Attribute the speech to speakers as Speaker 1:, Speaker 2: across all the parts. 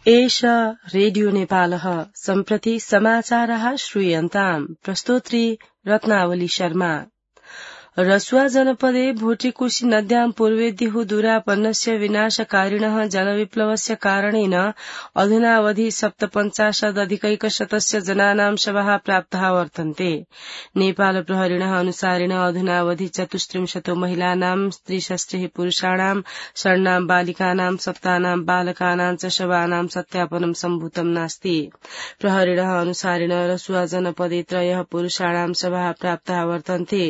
Speaker 1: एष रेडियो नेपालः सम्प्रति समाचारः श्रूयन्ताम् प्रस्तोत्री रत्नावली शर्मा। रसुआ जनपदे भोटिकोशी नद्यां पूर्वेद्युः दूरापन्नस्य विनाशकारिणः जलविप्लवस्य कारणेन अधुनावधि 57,अधिकैकशतस्य जनानां शवः प्राप्ताः वर्तन्ते। नेपाल प्रहरिणः अनुसारेण अधुनावधि 34 महिलानां 63 पुरुषाणां षण्णां बालिकानां सप्तानां बालकानां च शवानां सत्यापनं सम्भूतं नास्ति। प्रहरिणः अनुसारेण रसुआ जनपदे 3 पुरुषाणां शवः प्राप्ताः वर्तन्ते।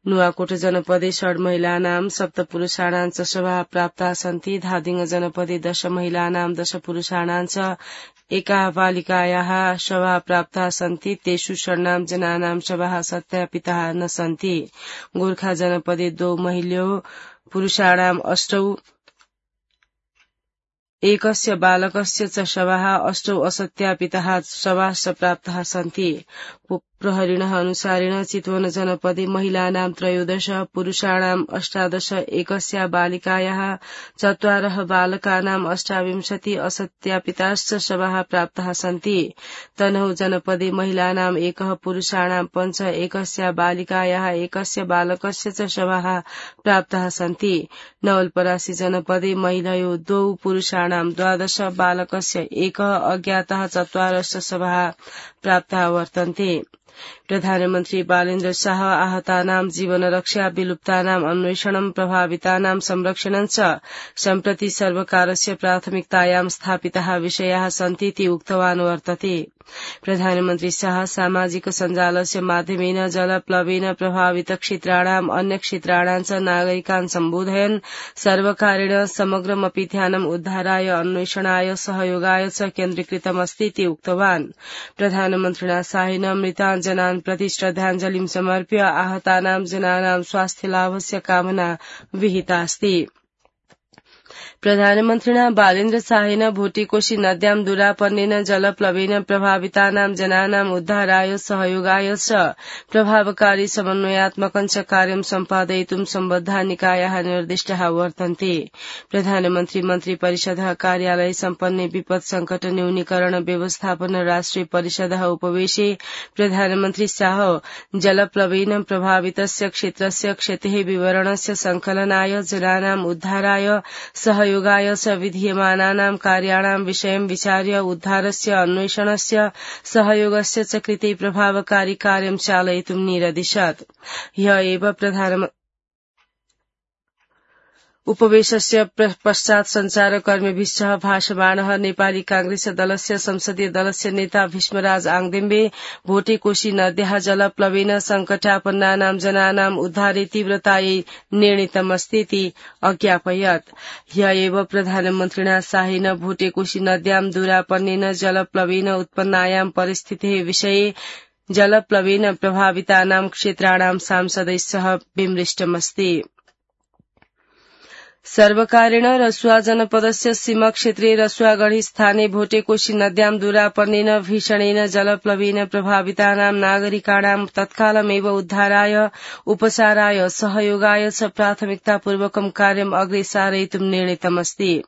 Speaker 1: नुवाकोट जनपदे 6 महिलानां 7 पुरुषाणां च शवः प्राप्ताः सन्ति। धादिङ जनपदे 10 महिलानां 10 पुरुषाणां च एकाः बालिकायाः शवः प्राप्ताः सन्ति। तेषु षण्णां जनानां शवः सत्यापिताः न सन्ति। गोर्खा जनपदे 2 महिल्यो पुरुषाणां 8 एकस्य बालकस्य च शवः 8 असत्यापिताः शवाश्च प्राप्ताः सन्ति। प्रहरिणः अनुसारेण चितवन जनपदे महिलानां 13 पुरुषाणां 18 एकस्य बालिकायाः 4 बालकानां 28 असत्यापिताश्च शवः प्राप्ताः सन्ति। तनहु जनपदे महिलानां 1 पुरुषाणां 5 एकस्य बालिकायाः 1 बालकस्य च शवः प्राप्ताः सन्ति। नवलपरासी जनपदे महिलयो 2 पुरुषाणां 12 बालकस्य 1 अज्ञातः 4 शवः प्राप्ताः वर्तन्ते। प्रधानमन्त्री बालेन्द्र शाह आहतानां जीवनरक्षा विलुप्तानां अन्वेषणं प्रभावितानां संरक्षणं च सम्प्रति सर्वकारस्य प्राथमिकतायां स्थापिताः विषयाः सन्तीति उक्तवान् वर्तते। प्रधानमन्त्री शाह सामाजिक सञ्जालस्य माध्यमेन जलप्लवेन प्रभावित क्षेत्राणाम् अन्य क्षेत्राणां च नागरिकान् सम्बोधयन् सर्वकारेण समग्रमपि ध्यानम् उद्धाराय अन्वेषणाय सहयोगाय च केन्द्रीकृतमस्तीति उक्तवान्। प्रधानमन्त्रिणा शाहेन मृतान् जनान् प्रति श्रद्धाञ्जलिं समर्प्य आहतानां जनानां स्वास्थ्यलाभस्य कामना विहितास्ति। प्रधानमन्त्रिणा बालेन्द्र शाहेन भोटिकोशी नद्यां दूरापन्नेन जलप्लवेन प्रभावितानां जनानां उद्धाराय सहयोगाय च प्रभावकारी समन्वयात्मकं च कार्यं सम्पादयितुं सम्बद्धा निकायाः निर्दिष्टाः वर्तन्ते। प्रधानमन्त्री मन्त्री परिषदः कार्यालये सम्पन्ने विपत् संकट न्यूनीकरण व्यवस्थापन राष्ट्रिय परिषदः उपवेशे प्रधानमन्त्री शाह जलप्लवेन प्रभावितस्य क्षेत्रस्य क्षतेः विवरणस्य संकलनाय जनानां उद्धाराय सहयोगाय च विधीयमानानां कार्याणां विषयं विचार्य उद्धारस्य अन्वेषणस्य सहयोगस्य च कृते प्रभावकारी कार्यं चालयितुं निरदिशत्। ह्यः एव उपवेशस्य पश्चात् संचारकर्मीभिः सह भाषमाणः नेपाली कांग्रेस दलस्य संसदीय दलस्य नेता भीष्मराज आङदेम्बे भोटिकोशी नद्याः जलप्लवेन संकटापन्नानां जनानां उद्धारे तीव्रतायै निर्णीतमस्तीति अज्ञापयत्। ह्यः एव प्रधानमन्त्रिणा शाहेन भोटिकोशी नद्यां दूरापन्नेन जलप्लवेन उत्पन्नायां परिस्थितेः विषये जलप्लवेन प्रभावितानां क्षेत्राणां सांसदैः सह विमृष्टमस्ति। सर्वकारेण रसुआ जनपदस्य सीमाक्षेत्रे रसुआगढ़ी स्थाने भोटिकोशी नद्यां दूरापन्नेन भीषणेन जलप्लवेन प्रभावितानां नागरिकाणां तत्कालमेव उद्धाराय उपचाराय सहयोगाय च प्राथमिकतापूर्वकं कार्यम् अग्रे सारयितुं निर्णीतमस्ति।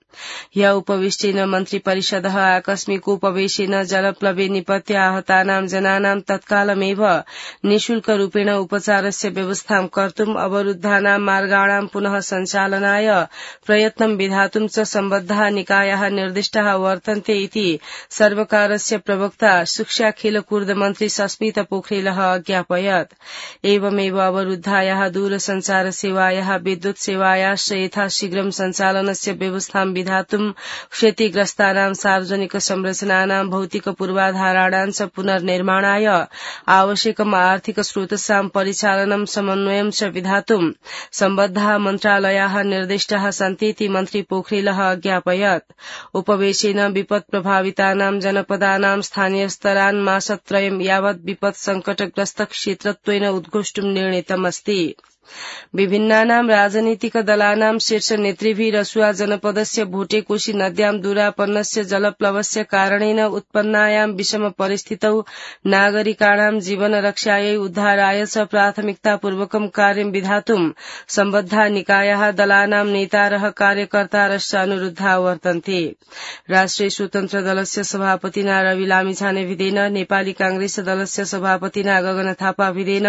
Speaker 1: ह्यः उपविष्टेन मन्त्रिपरिषदः आकस्मिक उपवेशेन जलप्लवे निपत्य आहतानां जनानां तत्कालमेव निःशुल्करूपेण उपचारस्य व्यवस्थां कर्तुम् अवरुद्धानां मार्गाणां पुनः सञ्चालनाय प्रयत्नं विधातुं च सम्बद्धाः निकायाः निर्दिष्टाः वर्तन्ते इति सर्वकारस्य प्रवक्ता शिक्षा खेलकूद मन्त्री सस्मित पोखरेलः अज्ञापयत्। एवमेव अवरुद्धायाः दूरसञ्चार सेवायाः विद्युत् सेवायाश्च यथाशीघ्रं सञ्चालनस्य व्यवस्थां विधातुं क्षतिग्रस्तानां सार्वजनिक संरचनानां भौतिक पूर्वाधाराणां च पुनर्निर्माणाय आवश्यकम् आर्थिक स्रोतसां परिचालनं समन्वयं च विधातुं सम्बद्धाः मन्त्रालयाः निर्दिष्टाः सन्तीति मन्त्री पोखरेलः अज्ञापयत्। उपवेशेन विपत् प्रभावितानां जनपदानां स्थानीय स्तरान् मासत्रयं यावत् विपत् संकटग्रस्त क्षेत्रत्वेन उद्घोष्टुं निर्णीतमस्ति। विभिन्नानां राजनीतिक दलानां शीर्ष नेतृभिः रसुआ जनपदस्य भोटेकोशी नद्यां दूरापन्नस्य जलप्लवस्य कारणेन उत्पन्नायां विषम परिस्थितौ नागरिकाणां जीवन रक्षायै उद्धाराय च प्राथमिकतापूर्वकं कार्यं विधातुं सम्बद्धा निकायाः दलानां नेतारः कार्यकर्तारश्च अनुरुद्धा वर्तन्ते। राष्ट्रिय स्वतन्त्र दलस्य सभापतिना रवि लामिछाने भिदेन, नेपाली कांग्रेस दलस्य सभापतिना गगन थापा भिदेन,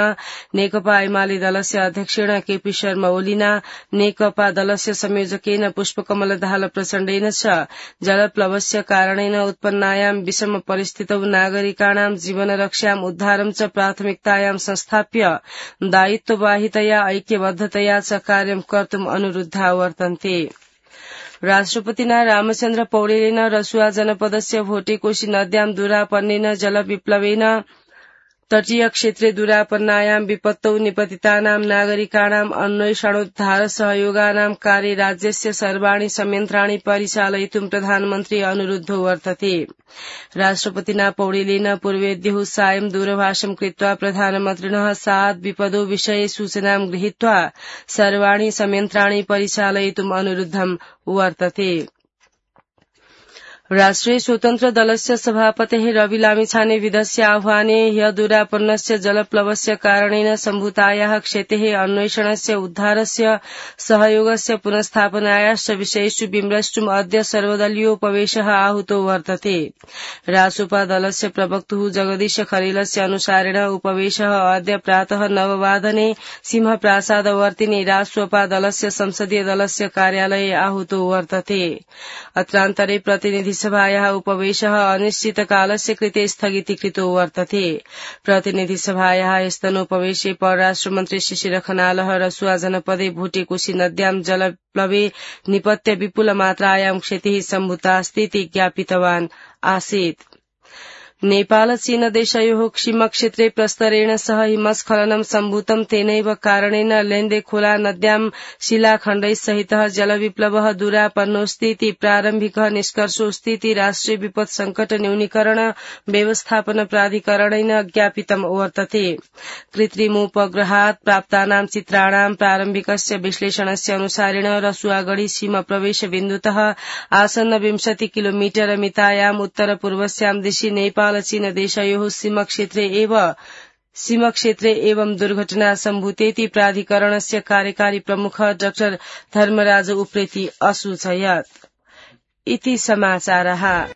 Speaker 1: नेकपा एमाले दलस्य अध्यक्षेण केपी शर्मा ओलीना, नेकपा दलस्य संयोजकेन पुष्पकमल दाहाल प्रचण्डेन च जलप्लवस्य कारणेन उत्पन्नायां विषम परिस्थितौ नागरिकाणां जीवन रक्षां उद्धारं च प्राथमिकतायां संस्थाप्य दायित्ववाहितया ऐक्यबद्धतया च कार्यं कर्तुम् अनुरुद्धा वर्तन्ते। राष्ट्रपतिना रामचन्द्र पौडेलेन रसुआ जनपदस्य भोटेकोशी नद्यां दूरापन्नेन जलविप्लवेन तटीय क्षेत्रे दूरापन्नायां विपत्तौ निपतितानां नागरिकाणां अन्वेषणोद्धार सहयोगानां कार्ये राज्यस्य सर्वाणि संयन्त्राणि परिचालयितुं प्रधानमन्त्री अनुरुद्धो वर्तते। राष्ट्रपतिना पौडेलेन पूर्वेद्युः सायं दूरभाषं कृत्वा प्रधानमन्त्रिणः सात् विपदो विषये सूचनां गृहीत्वा सर्वाणि संयन्त्राणि परिचालयितुम् अनुरुद्धं वर्तते। राष्ट्रिय स्वतन्त्र दलस्य सभापतेः रवि लामिछाने विधस्य आह्वाने ह्य दूरापन्नस्य जलप्लवस्य कारणेन सम्भूतायाः क्षतेः अन्वेषणस्य उद्धारस्य सहयोगस्य पुनस्थापनायाश्च विषयेषु विमृष्टुम् अद्य सर्वदलीयोपवेशः आहूतो वर्तते। रासोपा दलस्य प्रवक्तुः जगदीश खरेलस्य अनुसारेण उपवेशः अद्य प्रातः 9 वादने सिंहप्रासादवर्तिनि रासोपा दलस्य संसदीय दलस्य कार्यालये आहूतो वर्तते। अत्रान्तरे प्रतिनिधि सभायाः उपवेशः अनिश्चितकालस्य कृते स्थगितीकृतो वर्तते। प्रतिनिधि सभायाः स्तनोपवेशे परराष्ट्रमन्त्री शिशिर खनालः रसुआ जनपदे भोटेकोशी नद्यां जलप्लवे निपत्य विपुलमात्रायां क्षतिः सम्भूतास्ति इति ज्ञापितवान् आसीत्। नेपाल चीन देशयोः सीमाक्षेत्रे प्रस्तरेण सह हिमस्खलनं सम्भूतं, तेनैव कारणेन लेन्दे खोला नद्यां शिलाखण्डैस्सहितः जलविप्लवः दूरापन्नोऽस्ति इति प्रारम्भिकः निष्कर्षोऽस्ति इति राष्ट्रिय विपत् संकट न्यूनीकरण व्यवस्थापन प्राधिकरणेन ज्ञापितं वर्तते। कृत्रिमोपग्रहात् प्राप्तानां चित्राणां प्रारम्भिकस्य विश्लेषणस्य अनुसारेण रसुआगढी सीमा प्रवेश बिन्दुतः आसन्न 20 किलोमीटर मितायाम् उत्तर पूर्वस्यां दिशि नेपाल चीन देशयोः सीमक्षेत्रे एवं दुर्घटना सम्भूतेति प्राधिकरणस्य कार्यकारी प्रमुख डाक्टर धर्मराज उप्रेती असूचयत्। इति समाचारः।